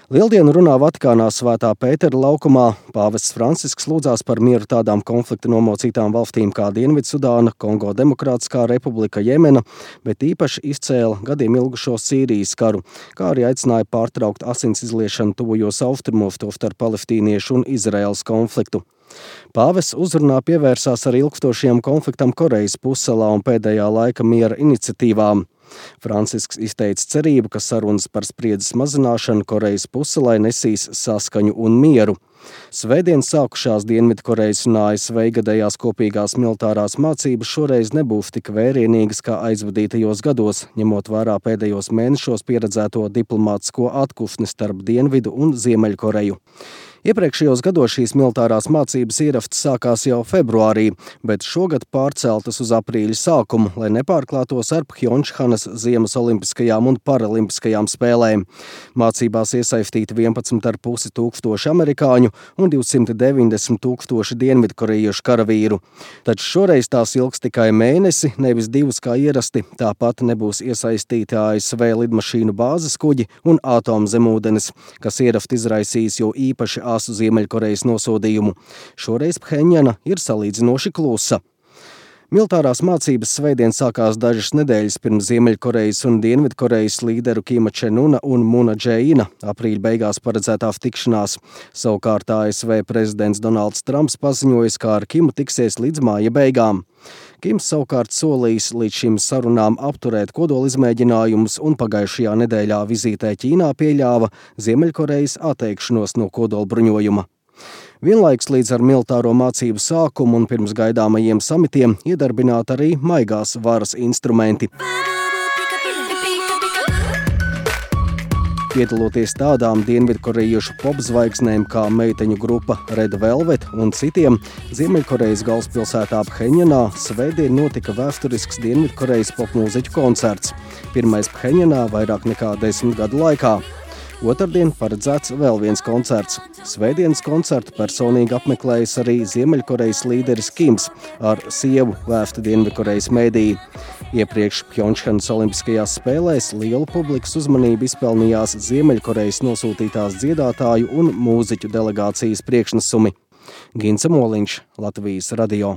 Lieldienu runā Vatikānā Svētā Pētera laukumā. Pāvests Francisks lūdzās par mieru tādām konflikta nomocītām valstīm kā Dienvidsudāna, Kongo Demokrātiskā republika, Jemena, bet īpaši izcēla gadiem ilgušo Sīrijas karu, kā arī aicināja pārtraukt asins izliešanu tuvajos austrumos, tostarp palestīniešu un Izraēlas konfliktu. Pāvests uzrunā pievērsās arī ilgstošajam konfliktam Korejas pussalā un pēdējā laika miera iniciatīvām. Francisks izteica cerību, ka sarunas par spriedzes mazināšanu Korejas pussalai nesīs saskaņu un mieru. Svētdien sākušās Dienvidkorejas un ASV gadējās kopīgās militārās mācības šoreiz nebūs tik vērienīgas kā aizvadītajos gados, ņemot vērā pēdējos mēnešos pieredzēto diplomātisko atkusni starp Dienvidu un Ziemeļkoreju. Iepriekšējos gados šīs militārās mācības ierastas sākās jau februārī, bet šogad pārceltas uz aprīļa sākumu, lai nepārklātos ar Phjončhanas ziemas olimpiskajām un paralimpiskajām spēlēm. Mācībās iesaistīti 11,5 tūkstoši amerikāņu un 290 tūkstoši dienvidkorejiešu karavīru. Taču šoreiz tās ilgs tikai mēnesi, nevis 2 kā ierasti, tāpat nebūs iesaistīti ASV lidmašīnu bāzes kuģi un atomzemūdenes, kas ierasti izraisīs jo īpaši asu Ziemeļkorejas nosodījumu. Šoreiz Phenjana ir salīdzinoši klusa. Militārās mācības svētdien sākās dažas nedēļas pirms Ziemeļkorejas un Dienvidkorejas līderu Kima Čenuna un Muna Džeina aprīļa beigās paredzētās tikšanās. Savukārt ASV prezidents Donalds Trumps paziņoja, ka ar Kimu tiksies līdz māja beigām. Kims savukārt solījis līdz šīm sarunām apturēt kodolizmēģinājumus un pagājušajā nedēļā vizītē Ķīnā pieļāva Ziemeļkorejas atteikšanos no kodolbruņojuma. Vienlaiks līdz ar militāro mācību sākumu un pirms gaidāmajiem samitiem iedarbināt arī maigās varas instrumenti. Piedaloties tādām dienvidkorejiešu popzvaigznēm kā meiteņu grupa Red Velvet un citiem, Ziemeļkorejas galvaspilsētā Phenjanā svētdien notika vēsturisks Dienvidkorejas popmūziķu koncerts. Pirmais Phenjanā vairāk nekā 10 gadu laikā. Otrdien paredzēts vēl viens koncerts. Svētdienas koncertu personīgi apmeklējis arī Ziemeļkorejas līderis Kims ar sievu, vēsta Dienvidkorejas mēdīji. Iepriekš Phjončhanas olimpiskajās spēlēs lielu publikas uzmanību izpelnījās Ziemeļkorejas nosūtītās dziedātāju un mūziķu delegācijas priekšnesumi. Gints Moliņš, Latvijas radio.